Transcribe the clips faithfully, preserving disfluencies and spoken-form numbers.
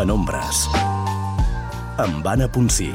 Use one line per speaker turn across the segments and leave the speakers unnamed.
Penombres, amb Anna Ponsí.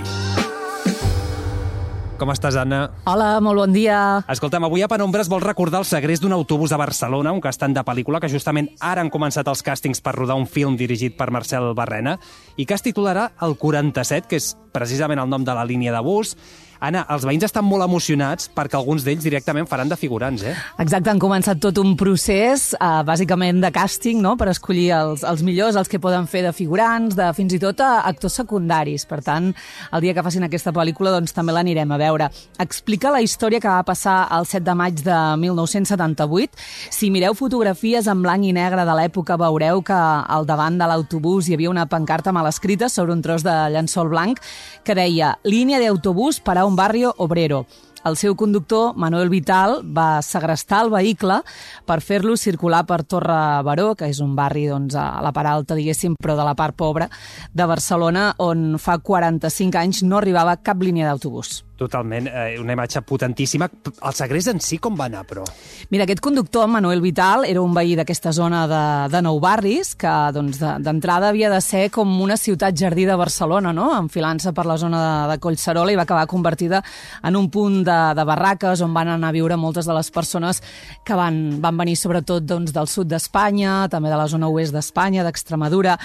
Com estàs, Anna?
Hola, molt bon dia.
Escolta'm, avui a Penombres vols recordar el segrest d'un autobús a Barcelona, un castant de pel·lícula que justament ara han començat els càstings per rodar un film dirigit per Marcel Barrena i que es titularà El quaranta-set, que és precisament el nom de la línia de bus. Anna, els veïns estan molt emocionats perquè alguns d'ells directament faran de figurants, eh?
Exacte, han començat tot un procés, eh, bàsicament de càsting, no?, per escollir els, els millors, els que poden fer de figurants, de fins i tot a actors secundaris. Per tant, el dia que facin aquesta pel·lícula doncs també l'anirem a veure. Explica la història que va passar el set de maig de mil nou-cents setanta-vuit. Si mireu fotografies en blanc i negre de l'època, veureu que al davant de l'autobús hi havia una pancarta mal escrita sobre un tros de llençol blanc que deia «Línia d'autobús per a un barrio obrero». El seu conductor, Manuel Vital, va segrestar el vehicle per fer-lo circular per Torre Baró, que és un barri doncs, a la part alta, diguéssim, però de la part pobra de Barcelona, on fa quaranta-cinc anys no arribava cap línia d'autobús.
Totalment, eh, una imatge potentíssima. El segrest en si com va anar, però?
Mira, aquest conductor, Manuel Vital, era un veí d'aquesta zona de, de Nou Barris, que doncs, d'entrada havia de ser com una ciutat jardí de Barcelona, no?, enfilant-se per la zona de, de Collserola, i va acabar convertida en un punt de, de barraques on van anar a viure moltes de les persones que van, van venir sobretot doncs, del sud d'Espanya, també de la zona oest d'Espanya, d'Extremadura.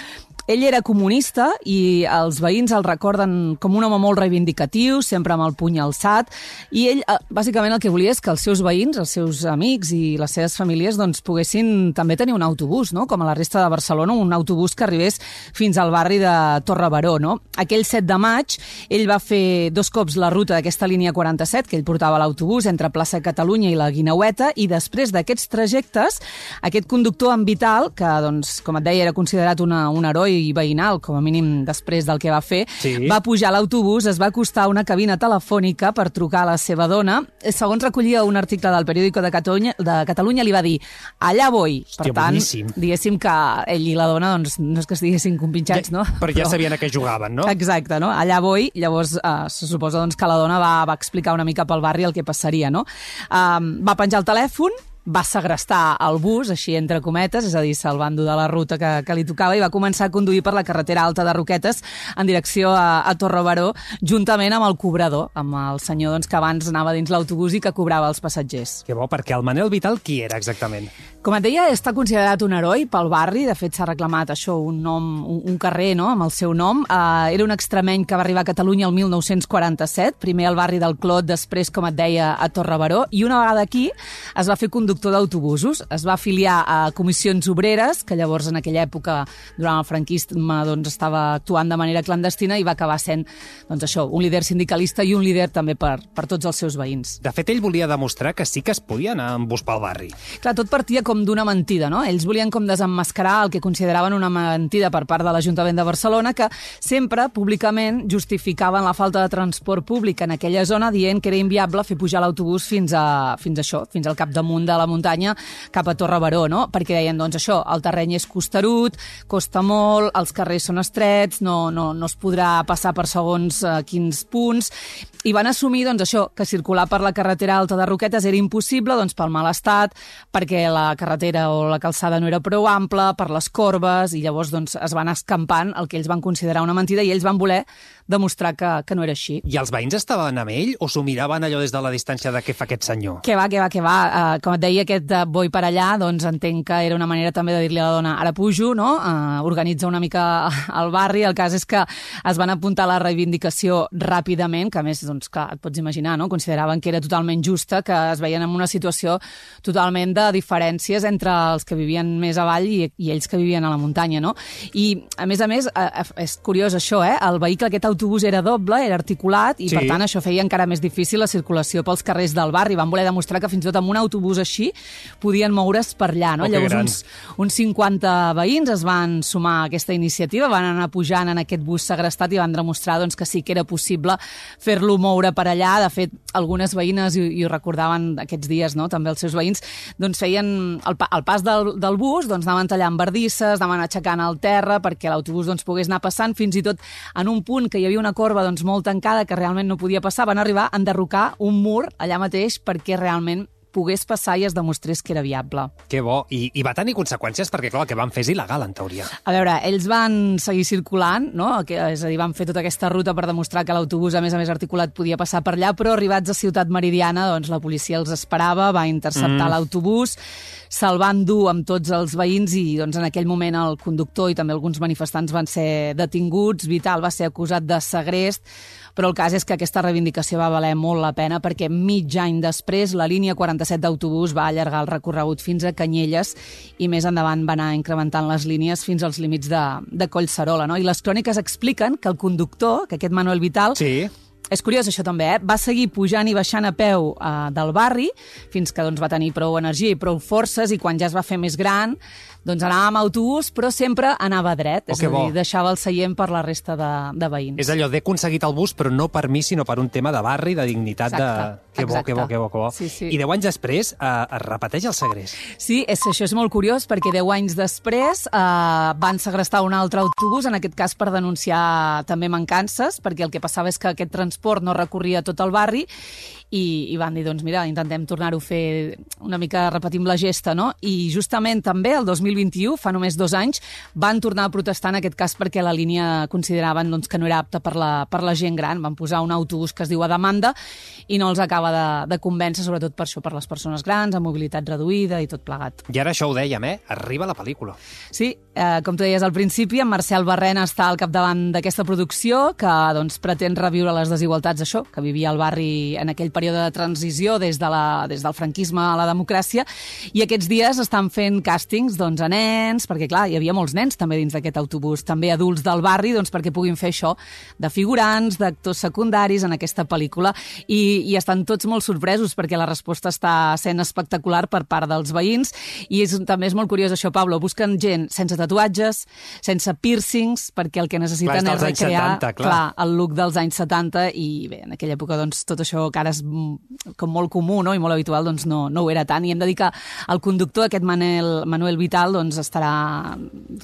Ell era comunista i els veïns el recorden com un home molt reivindicatiu, sempre amb el puny alçat, i ell, bàsicament, el que volia és que els seus veïns, els seus amics i les seves famílies doncs, poguessin també tenir un autobús, no?, com a la resta de Barcelona, un autobús que arribés fins al barri de Torre Baró, no? Aquell set de maig, ell va fer dos cops la ruta d'aquesta línia quaranta-set, que ell portava l'autobús entre Plaça Catalunya i la Guineueta, i després d'aquests trajectes, aquest conductor en Vital, que, doncs, com et deia, era considerat una, un heroi i veïnal, com a mínim després del que va fer,
sí.
Va pujar a l'autobús, es va acostar a una cabina telefònica per trucar a la seva dona. Segons recollia un article del Periódico de Catalunya, de Catalunya li va dir, allà voy.
Hòstia,
per tant,
boníssim.
Diguéssim que ell i la dona doncs, no és que estiguessin compinxats,
ja,
no?
Però ja però... sabien a què jugaven, no?
Exacte, no? Allà voy. Llavors, eh, se suposa doncs, que la dona va, va explicar una mica pel barri el que passaria, no? Um, va penjar el telèfon, va segrestar el bus, així entre cometes, és a dir, salvant-ho de la ruta que, que li tocava, i va començar a conduir per la carretera alta de Roquetes en direcció a, a Torre Baró, juntament amb el cobrador, amb el senyor doncs, que abans anava dins l'autobús i que cobrava els passatgers.
Que bo, perquè el Manel Vital qui era exactament?
Com et deia, està considerat un heroi pel barri, de fet s'ha reclamat això, un nom, un, un carrer, no?, amb el seu nom. Uh, era un extremeny que va arribar a Catalunya el mil nou-cents quaranta-set, primer al barri del Clot, després, com et deia, a Torre Baró, i una vegada aquí es va fer conductor d'autobusos, es va afiliar a comissions obreres, que llavors en aquella època, durant el franquisme, doncs, estava actuant de manera clandestina, i va acabar sent doncs, això, un líder sindicalista i un líder també per, per tots els seus veïns.
De fet, ell volia demostrar que sí que es podia anar amb bus pel barri.
Clar, tot partia com d'una mentida, no? Ells volien com desemmascarar el que consideraven una mentida per part de l'Ajuntament de Barcelona, que sempre, públicament, justificaven la falta de transport públic en aquella zona, dient que era inviable fer pujar l'autobús fins a, fins a això, fins al capdamunt de la muntanya cap a Torre Baró, no? Perquè deien, doncs això, el terreny és costerut, costa molt, els carrers són estrets, no, no, no es podrà passar per segons eh, quins punts, i van assumir, doncs això, que circular per la carretera alta de Roquetes era impossible, doncs pel mal estat, perquè la carretera o la calçada no era prou ampla, per les corbes, i llavors doncs, es van escampant el que ells van considerar una mentida, i ells van voler demostrar que, que no era així.
I els veïns estaven amb ell o s'ho miraven allò des de la distància de què fa aquest senyor?
Que va, que va, que va. Uh, com et deia, aquest uh, boi per allà, doncs entenc que era una manera també de dir-li a la dona, ara pujo, no? Uh, organitza una mica el barri. El cas és que es van apuntar a la reivindicació ràpidament, que a més, doncs, clar, et pots imaginar, no? Consideraven que era totalment justa, que es veien en una situació totalment de diferències entre els que vivien més avall i, i ells que vivien a la muntanya, no? I, a més a més, uh, és curiós això, eh? El vehicle, aquest autobús era doble, era articulat, i sí. Per tant això feia encara més difícil la circulació pels carrers del barri. Van voler demostrar que fins i tot amb un autobús així podien moure's per allà, no?
Oh,
llavors uns, uns cinquanta veïns es van sumar a aquesta iniciativa, van anar pujant en aquest bus segrestat i van demostrar doncs, que sí que era possible fer-lo moure per allà. De fet, algunes veïnes, i, i ho recordaven aquests dies, no? També els seus veïns, doncs feien el, el pas del, del bus, doncs anaven tallant bardisses, anaven aixecant el terra perquè l'autobús doncs, pogués anar passant, fins i tot en un punt que hi havia una corba doncs, molt tancada que realment no podia passar, van arribar a enderrocar un mur allà mateix perquè realment pogués passar i es demostrés que era viable.
Que bo. I, i va tenir conseqüències perquè, clar, el que van fer és il·legal, en teoria.
A veure, ells van seguir circulant, no? Que, és a dir, van fer tota aquesta ruta per demostrar que l'autobús, a més a més articulat, podia passar per allà, però arribats a Ciutat Meridiana, doncs la policia els esperava, va interceptar mm. l'autobús, se'l van dur amb tots els veïns i doncs, en aquell moment el conductor i també alguns manifestants van ser detinguts. Vital va ser acusat de segrest, però el cas és que aquesta reivindicació va valer molt la pena perquè mig any després la línia quaranta-set d'autobús va allargar el recorregut fins a Canyelles i més endavant va anar incrementant les línies fins als límits de, de Collserola. No? I les cròniques expliquen que el conductor, que aquest Manuel Vital...
Sí.
És curiós això també, eh? Va seguir pujant i baixant a peu eh, del barri fins que doncs, va tenir prou energia i prou forces i quan ja es va fer més gran doncs anava amb autobús, però sempre anava dret,
oh,
és a dir, deixava el seient per la resta de, de veïns.
És allò, d'he aconseguit el bus, però no per mi, sinó per un tema de barri, de dignitat.
Exacte,
de... Que bo,
exacte.
que bo, que bo, que bo.
Sí, sí.
I deu anys després eh, es repeteix el segrest.
Sí, és, això és molt curiós, perquè deu anys després eh, van segrestar un altre autobús, en aquest cas per denunciar també mancances, perquè el que passava és que aquest transport no recorria tot el barri, i, i van dir, doncs mira, intentem tornar-ho a fer una mica, repetim la gesta, no? I justament també el dos mil vint-i-u, fa només dos anys, van tornar a protestar en aquest cas perquè la línia consideraven doncs, que no era apta per la, per la gent gran. Van posar un autobús que es diu a demanda i no els acaba de, de convèncer, sobretot per això, per les persones grans, amb mobilitat reduïda i tot plegat.
I ara això ho dèiem, eh? Arriba la pel·lícula.
Sí, eh, com tu deies al principi, en Marcel Barrena està al capdavant d'aquesta producció que doncs, pretén reviure les desigualtats, això, que vivia el barri en aquell període de transició des, de la, des del franquisme a la democràcia, i aquests dies estan fent càstings doncs, a nens, perquè clar, hi havia molts nens també dins d'aquest autobús, també adults del barri, doncs perquè puguin fer això de figurants, d'actors secundaris en aquesta pel·lícula, i, i estan tots molt sorpresos perquè la resposta està sent espectacular per part dels veïns, i és, també és molt curiós això, Pablo, busquen gent sense tatuatges, sense piercings, perquè el que necessiten
clar,
és recrear
setanta, clar.
clar, el look dels anys setanta, i bé, en aquella època doncs, tot això que ara és com molt comú, no? I molt habitual, doncs no, no ho era tant, i hem de dir que el conductor, aquest Manuel, Manuel Vital, doncs estarà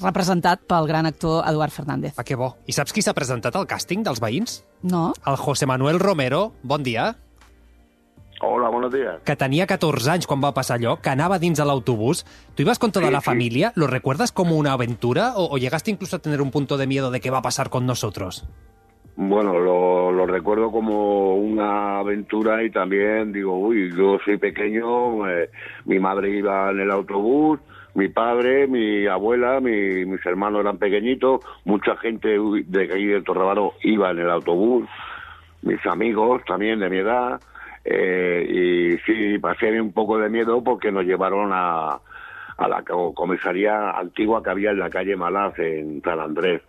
representat pel gran actor Eduard Fernández.
Ah, que bo. I saps qui s'ha presentat al càsting dels veïns?
No?
El José Manuel Romero, bon dia.
Hola, buenos días.
Que tenia catorze anys quan va passar allò, que anava dins de l'autobús. ¿Tú ibas con toda
sí,
la
sí.
familia? ¿Lo recuerdas como una aventura o, o llegaste incluso a tener un punto de miedo de qué va a pasar con nosotros?
Bueno, lo, lo recuerdo como una aventura y también digo, uy, yo soy pequeño, eh, mi madre iba en el autobús, mi padre, mi abuela, mi, mis hermanos eran pequeñitos, mucha gente de aquí de Torrebaro iba en el autobús, mis amigos también de mi edad, eh, y sí, pasé un poco de miedo porque nos llevaron a, a la comisaría antigua que había en la calle Malaz, en San Andrés,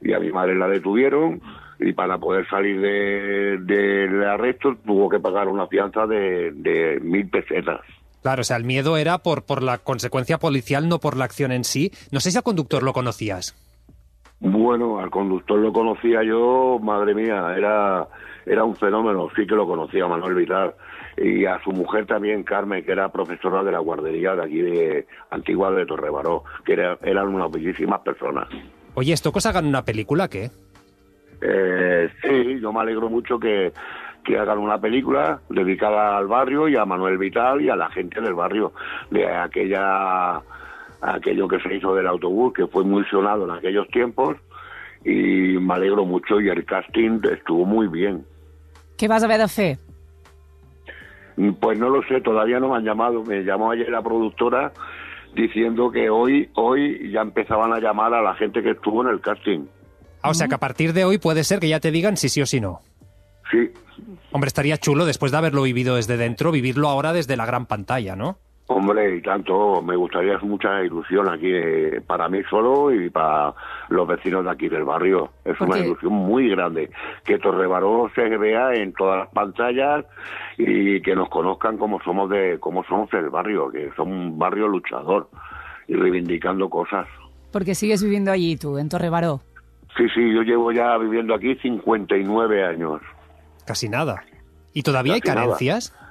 y a mi madre la detuvieron, y para poder salir de, de, del arresto tuvo que pagar una fianza de, de mil pesetas.
Claro, o sea, el miedo era por, por la consecuencia policial, no por la acción en sí. No sé si al conductor lo conocías.
Bueno, al conductor lo conocía yo, madre mía, era, era un fenómeno, sí que lo conocía, Manuel Vital. Y a su mujer también, Carmen, que era profesora de la guardería de aquí de Antigua de Torrebaró, que era, eran unas bellísimas personas.
Oye, ¿esto que os hagan una película, qué?
Eh, sí, yo me alegro mucho que, que hagan una película dedicada al barrio y a Manuel Vital y a la gente del barrio, de aquella aquello que se hizo del autobús, que fue muy sonado en aquellos tiempos, y me alegro mucho, y el casting estuvo muy bien.
Què vas haver de fer?
Pues no lo sé, todavía no me han llamado, me llamó ayer la productora diciendo que hoy, hoy ya empezaban a llamar a la gente que estuvo en el casting.
Ah, o sea, que a partir de hoy puede ser que ya te digan si sí o si no.
Sí.
Hombre, estaría chulo, después de haberlo vivido desde dentro, vivirlo ahora desde la gran pantalla, ¿no?
Hombre, y tanto, me gustaría, es mucha ilusión aquí, eh, para mí solo y para los vecinos de aquí del barrio. Es una ilusión muy grande, que Torrebaró se vea en todas las pantallas y que nos conozcan como somos de, como somos el barrio, que somos un barrio luchador y reivindicando cosas.
Porque sigues viviendo allí tú, en Torrebaró.
Sí, sí, yo llevo ya viviendo aquí cincuenta y nueve años.
Casi nada. ¿Y todavía
Casi
hay carencias?
Nada.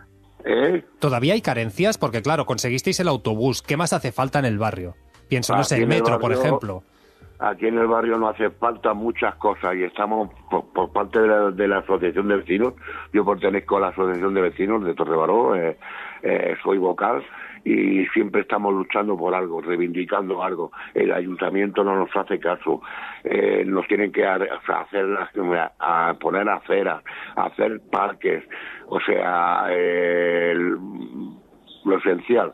¿Eh?
¿Todavía hay carencias? Porque claro, conseguisteis el autobús. ¿Qué más hace falta en el barrio? Pienso, no
Aquí
sé, el
en el
metro, por
barrio-
ejemplo.
Aquí en el barrio no hace falta muchas cosas y estamos por, por parte de la, de la asociación de vecinos. Yo pertenezco a la asociación de vecinos de Torrebaró. Eh, eh, soy vocal y siempre estamos luchando por algo, reivindicando algo. El ayuntamiento no nos hace caso, eh, nos tienen que hacer, a poner aceras, hacer parques, o sea, eh, el, lo esencial.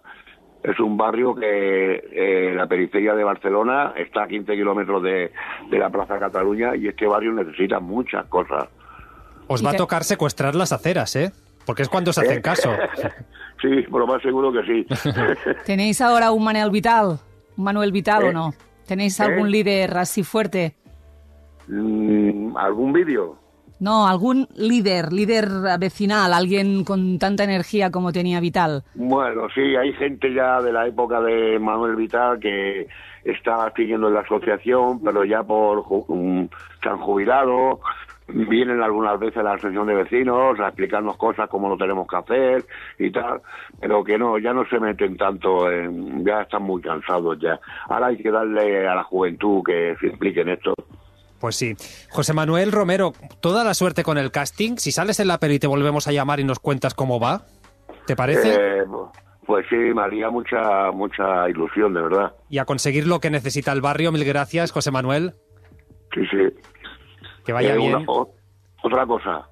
Es un barrio que en eh, la periferia de Barcelona está a quince kilómetros de, de la Plaza Cataluña y este barrio necesita muchas cosas.
Os va a tocar secuestrar las aceras, ¿eh? Porque es cuando se hacen
¿Eh?
caso.
Sí, por lo más seguro que sí.
¿Tenéis ahora un Manuel Vital? ¿Un Manuel Vital ¿Eh? o no? ¿Tenéis algún ¿Eh? líder así fuerte?
Mm, ¿Algún vídeo?
No, algún líder, líder vecinal, alguien con tanta energía como tenía Vital.
Bueno, sí, hay gente ya de la época de Manuel Vital que está siguiendo en la asociación, pero ya por um, se han jubilado, vienen algunas veces a la asociación de vecinos a explicarnos cosas como lo tenemos que hacer y tal, pero que no, ya no se meten tanto, en, ya están muy cansados ya. Ahora hay que darle a la juventud que se implique en esto.
Pues sí. José Manuel Romero, toda la suerte con el casting. Si sales en la peli te volvemos a llamar y nos cuentas cómo va. ¿Te parece?
Eh, pues sí, me haría mucha, mucha ilusión, de verdad.
Y a conseguir lo que necesita el barrio. Mil gracias, José Manuel.
Sí, sí.
Que vaya
eh,
bien.
Una, o, otra cosa.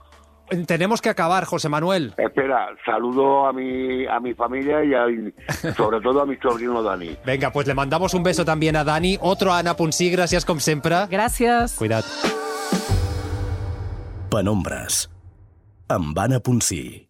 Tenemos que acabar, José Manuel.
Espera, saludo a mi a mi familia y a, sobre todo a mi sobrino Dani.
Venga, pues le mandamos un beso también a Dani. Otro a Anna Ponsí, gràcies com sempre.
Gràcies.
Cuida't.
Penombres, amb Anna Ponsí.